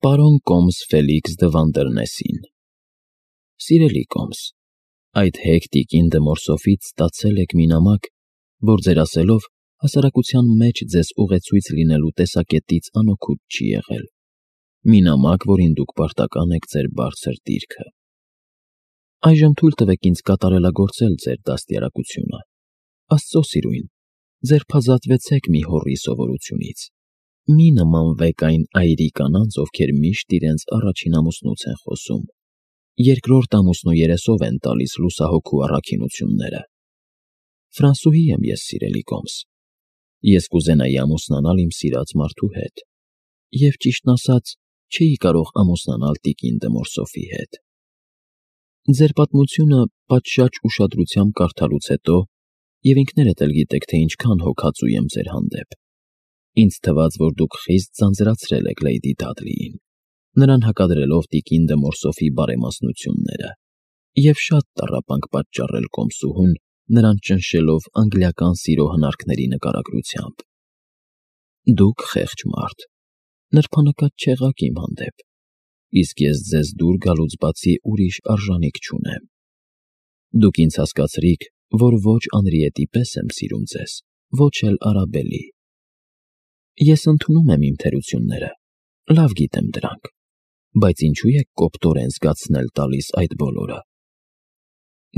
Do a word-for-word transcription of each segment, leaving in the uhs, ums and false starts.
Պարոն Կոմս Ֆելիքս դը Վանդերնեսին։ Սիրելի Կոմս, այդ հեգ տիկին Դմորսոֆից ստացել եք մի նամակ, որ ձեր ասելով հասարակության մեջ ձեզ ուղեցույց լինելու տեսակետից անօգուտ չի եղել։ Մի նամակ, որին դուք պարտական եք ձեր բարձր դիրքը։ Այժմ թույլ տվեք ինձ կատարելագործել ձեր դաստիարակությունը։ Աստծո սիրուն, ձերբազատվեցեք մի հոռի սովորությունից։ Մի նմանվեք այն այրի կանանց, ովքեր միշտ իրենց առաջին ամուսնուց են խոսում, երկրորդ ամուսնու երեսով են տալիս լուսահոգու առաքինությունները։ Ֆրանսուհի եմ ես, սիրելի Կոմս։ Ես կուզենայի ամուսնանալ իմ սիրած մարդու հետ, և ճիշտն ասած, չէի կարող ամուսնանալ տիկին Դմորսոֆի հետ։ Ձեր պատմությունը պատշաճ ուշադրությամբ կարդալուց հետո, և ինքներդ էլ գիտեք, թե ինչքան հոգածու եմ ձեր հանդեպ, ինձ թվաց, որ դուք խիստ ձանձրացրել եք Լեյդի Դադլիին, նրան հակադրելով տիկին Դմորսոֆի բարեմասնությունները, և շատ տառապանք պատճառել Կոմսուհուն, նրան ճնշելով անգլիական սիրո հնարքների նկարագրությամբ։ Դուք խեղճ մարդ, նրբանկատ չեղաք իմ հանդեպ, իսկ ես ձեզ դուր գալուց բացի ուրիշ արժանիք չունեմ։ Դուք ինձ հասկացրիք, որ ոչ Անրիետի պես եմ սիրում ձեզ, ոչ էլ Արաբելի։ Ես ընդունում եմ իմ թերությունները, լավ գիտեմ դրանք, բայց ինչու եք կոպտորեն զգացնել տալիս այդ բոլորը։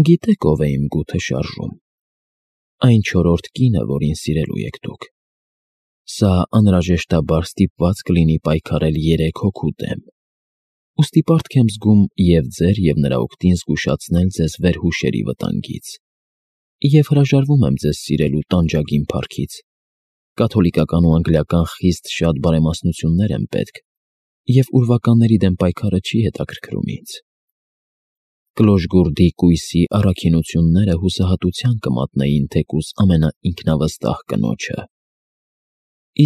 Գիտեք ով է իմ գութը շարժում։ Այն չորրորդ կինը, որին սիրելու եք դուք։ Սա անհրաժեշտաբար ստիպված կլինի պայքարել երեք հոգու դեմ։ Ուստի պարտք եմ զգում և ձեր, և նրա օգտին զգուշացնել ձեզ վերհուշերի վտանգից։ Եվ հրաժարվում եմ ձեզ սիրելու տանջագին փառքից։ Կաթոլիկական ու անգլիական խիստ շատ բարեմասնություններ են պետք, և ուրվականների դեմ պայքարը չի հետաքրքրում ինձ։ Կլոշգուրդի կույսի առաքինությունները հուսահատության կմատնեին թեկուզ ամենաինքնավստահ կնոջը։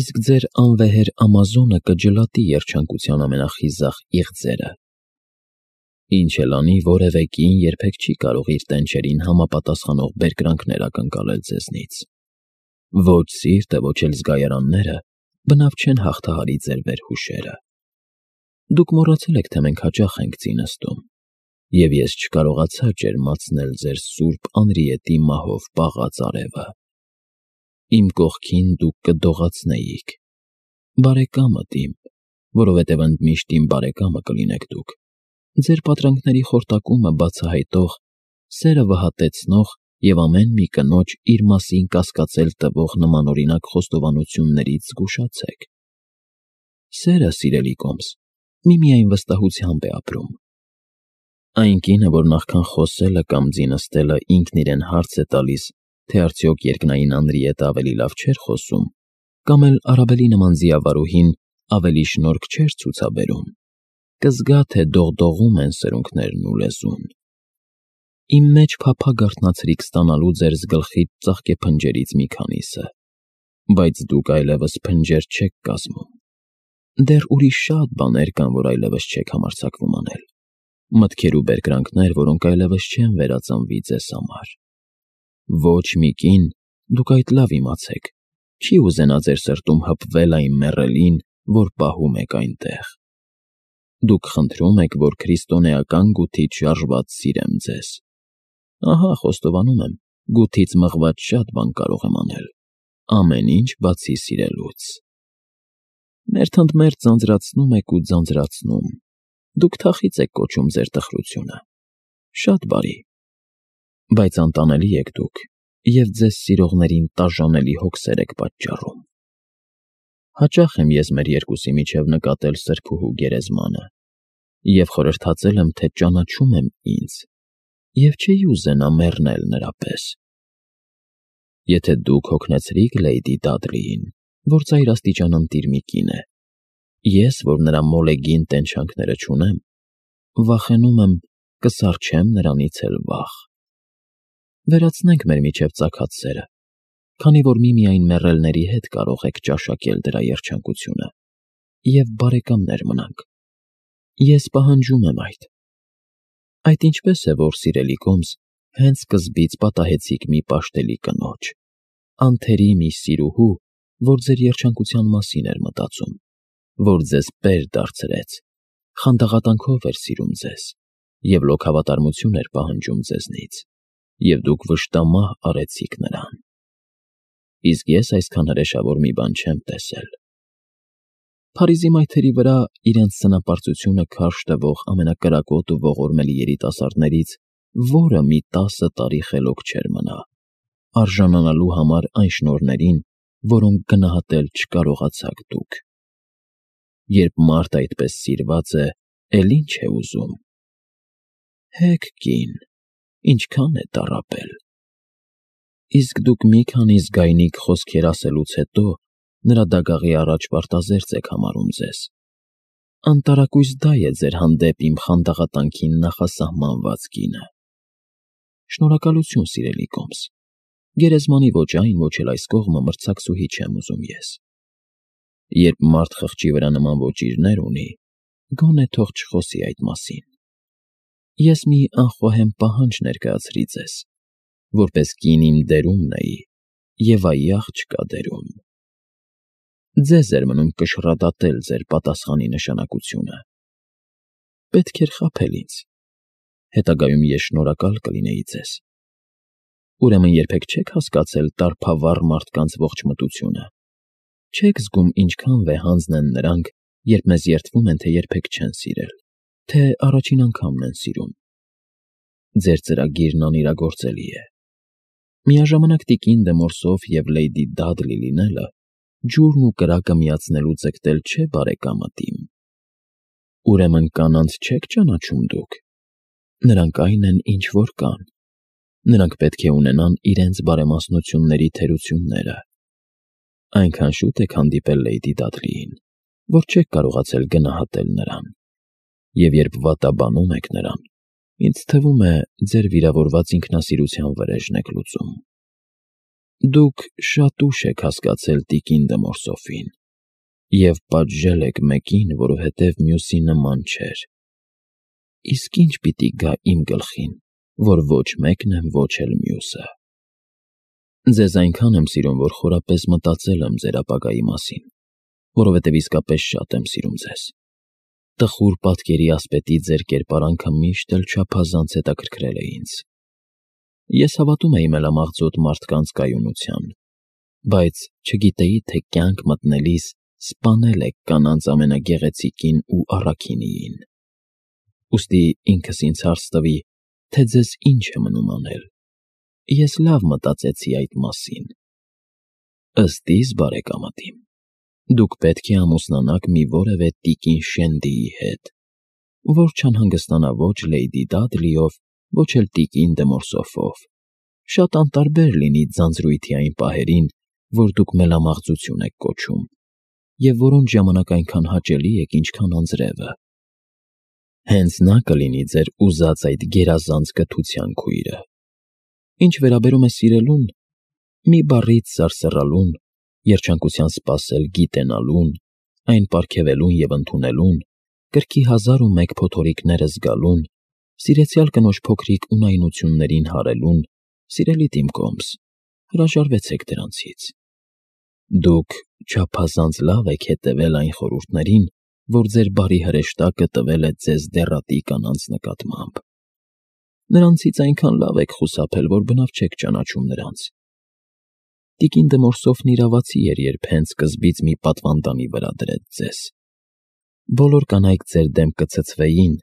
Իսկ ձեր անվեհեր Ամազոնը կջլատի երջանկության ամենախիզախ իղձերը։ Ինչ էլ անի, որևէ կին երբեք չի կարող իր տենչերին համապատասխանող բերկրանքներ ակնկալել ձեզնից։ Ոչ սիրտը, ոչ էլ զգայարանները բնավ չեն հաղթահարի ձեր վերհուշերը։ Դուք մոռացել եք, թե մենք հաճախ ենք ծինստում, և ես չկարողացա ջերմացնել ձեր սուրբ Անրիետի մահով պաղած արևը։ Իմ կողքին դուք կդողացնեիք։ Բարեկամդ իմ, որովհետև ընդմիշտ իմ բարեկամը կլինեք դուք, ձեր պատրանքների խորտակումը բացահայտող, սերը վհատեցնող և ամեն մի կնոջ իր մասին կասկածել տվող նմանօրինակ խոստովանություններից զգուշացեք։ Սերը, սիրելի Կոմս, միմիայն վստահությամբ է ապրում։ Այն կինը, որ նախքան խոսելը կամ ձինստելը ինքն իրեն հարց է տալիս, թե արդյոք երկնային Անրիետը ավելի լավ չէր խոսում, կամ էլ Արաբելի նման ձիավարուհին ավելի շնորհք չէր ցուցաբերում, կզգա, թե դողդողում են սրունքներն ու լեզուն։ Իմ մեջ փափագ արթնացրիք ստանալու ձեր գլխի ծաղկեփնջերից մի քանիսը, բայց դուք այլևս փնջեր չեք կազմում։ Դեռ ուրիշ շատ բաներ կան, որ այլևս չեք համարձակվում անել, մտքեր ու բերկրանքներ, որոնք այլևս չեն վերածնվի ձեզ համար։ Ոչ մի կին, դուք այդ լավ իմացեք, չի ուզենա ձեր սրտում հպվել այն մեռելին, որ պահում եք այնտեղ։ Դուք խնդրում եք, որ քրիստոնեական գութից շարժված սիրեմ ձեզ։ Ահա, խոստովանում եմ, գութից մղված շատ բան կարող եմ անել, ամեն ինչ բացի սիրելուց։ Մերթընդմերթ ձանձրացնում եք ու ձանձրացնում, դուք թախիծ եք կոչում ձեր տխրությունը։ Շատ բարի։ Բայց անտանելի եք դուք, և ձեզ սիրողներին տաժանելի հոգսեր եք պատճառում։ Հաճախ եմ ես մեր երկուսի միջև նկատել սրբուհու գերեզմանը, և խորհրդածել եմ, թե ճանաչում եմ ինձ, և չէի ուզենա մեռնել նրա պես։ Եթե դուք հոգնեցրիք Լեյդի Դադլիին, որ ծայրաստիճան ընտիր մի կին է, ես, որ նրա մոլեգին տենչանքները չունեմ, վախենում եմ, կսառչեմ նրանից էլ վախ։ Վերացնենք մեր միջև ծագած սերը, քանի որ միմիայն մեռելների հետ կարող եք ճաշակել դրա երջանկությունը, և բարեկամներ մնանք։ Ես պահանջում եմ այդ։ Այդ ինչպես է, որ, սիրելի Կոմս, հենց սկզբից պատահեցիք մի պաշտելի կնոջ, անթերի մի սիրուհու, որ ձեր երջանկության մասին էր մտածում, որ ձեզ պեր դարձրեց, խանդաղատանքով էր սիրում ձեզ և լոքավատարմություն էր պահանջում ձեզնից, և դուք վշտամահ արեցիք նրան։ Իսկ ես այսքան հրեշավոր մի բան չեմ տեսել։ Փարիզի մայթերի վրա իրենց սնապարծությունը քարշ տվող ամենակրակոտ ու ողորմելի երիտասարդներից որը մի տասը տարի խելոք չէր մնա, արժանանալու համար այն շնորհներին, որոնք գնահատել չկարողացաք դուք։ Երբ մարդ այդպես սիրված է, էլ ի՞նչ է ուզում։ Հեգ կին, ինչքան է տառապել։ Իսկ դուք մի քանի զգայնիկ խոսքեր ասելուց հետո նրա դագաղի առաջ պարտազերծ եք համարում ձեզ։ Անտարակույս դա է ձեր հանդեպ իմ խանդաղատանքին նախասահմանված գինը։ Շնորհակալություն, սիրելի Կոմս, գերեզմանի ոչ այն, ոչ էլ այս կողմը մրցակցուհի չեմ ուզում ես։ Երբ մարդ խղճի վրա նման ոճիրներ ունի, գոնե թող չխոսի այդ մասին։ Ես մի անխոհեմ պահանջ ներկայացրի ձեզ, որպես կին իմ դերումն էի, և այ աղջկա դերում։ Ձեզ էր մնում կշռադատել ձեր պատասխանի նշանակությունը։ Պետք էր խաբել ինձ, հետագայում ես շնորհակալ կլինեի ձեզ։ Ուրեմն երբեք չեք հասկացել տառփավառ մարդկանց ողջ մտությունը։ Չեք զգում ինչքան վեհանձն են նրանք, երբ մեզ երդվում են, թե երբեք չեն սիրել, թե առաջին անգամն են սիրում։ Ձեր ծրագիրն անիրագործելի է։ Միաժամանակ տիկին դե Մորսով և լեյդի Դադլի լինելը ջուրն ու կրակը միացնելու ձգտել չէ բարեկամդ իմ։ Ուրեմն կանանց չեք ճանաչում դուք։ Նրանք այն են, ինչ որ կան։ Նրանք պետք է ունենան իրենց բարեմասնությունների թերությունները։ Այնքան շուտ եք հանդիպել լեյդի Դադլիին, որ չեք կարողացել գնահատել նրան։ Եվ երբ վատաբանում եք նրան, ինձ թվում է, ձեր վիրավորված ինքնասիրության վրեժն եք լուծում։ Դուք շատ ուշ եք հասկացել տիկին դե Մորսոֆին և պատժել եք մեկին, որովհետև մյուսի նման չէր։ Իսկ ի՞նչ պիտի գա իմ գլխին, որ ոչ մեկն եմ, ոչ էլ մյուսը։ Ձեզ այնքան եմ սիրում, որ խորապես մտածել եմ ձեր ապագայի մասին, որովհետև իսկապես շատ եմ սիրում ձեզ։ Տխուր պատկերի ասպետի ձեր կերպարանքը միշտ էլ չափազանց հետաքրքրել է ինձ։ Ես հավատում էի մելամաղձոտ մարդկանց կայունության, բայց չգիտեի, թե կյանք մտնելիս սպանել եք կանանց ամենագեղեցիկին ու առաքինիին։ Ուստի ինքս ինձ հարց տվի, թե ձեզ ինչ է մնում անել։ Ես լավ մտածեցի այդ մասին։ Ըստ իս, բարեկամդ իմ, դուք պետք է ամուսնանաք մի որևէ տիկին Շենդիի հետ, որ չանհանգստանա ոչ լեյդի Դադլիով, ոչ էլ տիկին դե Մորսոֆով։ Շատ անտարբեր լինի ձանձրույթի այն պահերին, որ դուք մելամաղձություն եք կոչում, և որոնց ժամանակ այնքան հաճելի եք, ինչքան անձրևը։ Հենց նա կլինի ձեր ուզած այդ գերազանց կթության քույրը։ Ինչ վերաբերում է սիրելուն, մի բառից սարսռալուն, երջանկության սպասել գիտենալուն, այն պարգևելուն և ընդունելուն, կրքի հազար ու մեկ փոթորիկները զգալուն, սիրեցյալ կնոջ փոքրիկ ունայնություններին հարելուն, սիրելի Տիմ Կոմս, հրաժարվեցեք դրանցից։ Դուք չափազանց լավ եք հետևել այն խորհուրդներին, որ ձեր բարի հրեշտակը տվել է ձեզ դեռատի կանանց նկատմամբ։ Նրանցից այնքան լավ եք խուսափել, որ բնավ չեք ճանաչում նրանց։ Տիկին դե Մորսոֆն իրավացի էր, երբ հենց սկզբից մի պատվանդանի վրա դրեց ձեզ։ Բոլոր կանայք ձեր դեմ կցցվեին,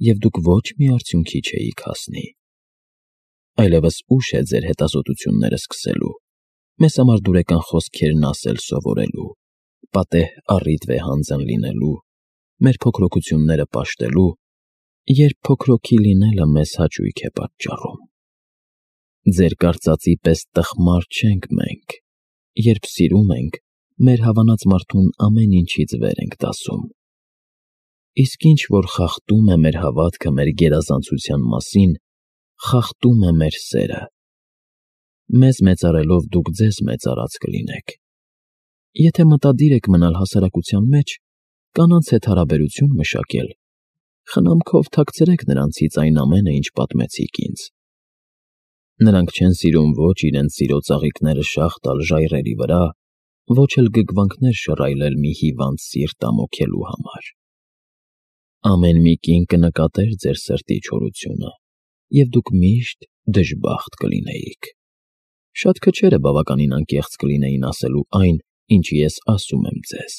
և դուք ոչ մի արդյունքի չէիք հասնի։ Այլևս ուշ է ձեր հետազոտությունները սկսելու, մեզ համար դուրեկան խոսքերն ասել սովորելու, պատեհ առիթ վեհանձն լինելու, մեր փոքրոքությունները պաշտելու, երբ փոքրոքի լինելը մեզ հաճույք է պատճառում։ Ձեր կարծածի պես տխմար չենք մենք, երբ սիրում ենք, մեր հավանած մարդուն ամեն ինչից վեր ենք դասում։ Իսկ ինչ որ խախտում է մեր հավատքը մեր գերազանցության մասին, խախտում է մեր սերը։ Մեզ մեծարելով դուք ձեզ մեծարած կլինեք։ Եթե մտադիր եք մնալ հասարակության մեջ, կանանց հետ հարաբերություն մշակել, խնամքով թաքցրեք նրանցից այն ամենը, ինչ պատմեցիք ինձ։ Նրանք չեն սիրում ոչ իրենց սիրո ծաղիկները շաղ տալ ժայռերի վրա, ոչ էլ գգվանքներ շռայլել մի հիվանդ սիրտ ամոքելու համար։ Ամեն մի կին կնկատեր ձեր սրտի չորությունը, և դուք միշտ դժբախտ կլինեիք։ Շատ քչերը բավականին անկեղծ կլինեին ասելու այն, ինչը ես ասում եմ ձեզ,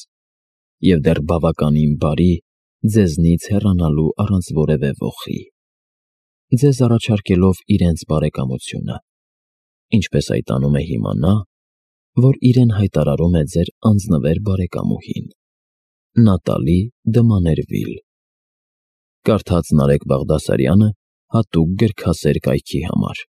և դեռ բավականին բարի ձեզնից հեռանալու առանց որևէ ոխի, ձեզ առաջարկելով իրենց բարեկամությունը, ինչպես այդ անում է հիմա նա, որ իրեն հայտարարում է ձեր անձնվեր բարեկամուհին՝ Նատալի դը Մաներվիլ։ Կարդաց Նարեկ Բաղդասարյանը հատուկ գրքասեր կայքի համար։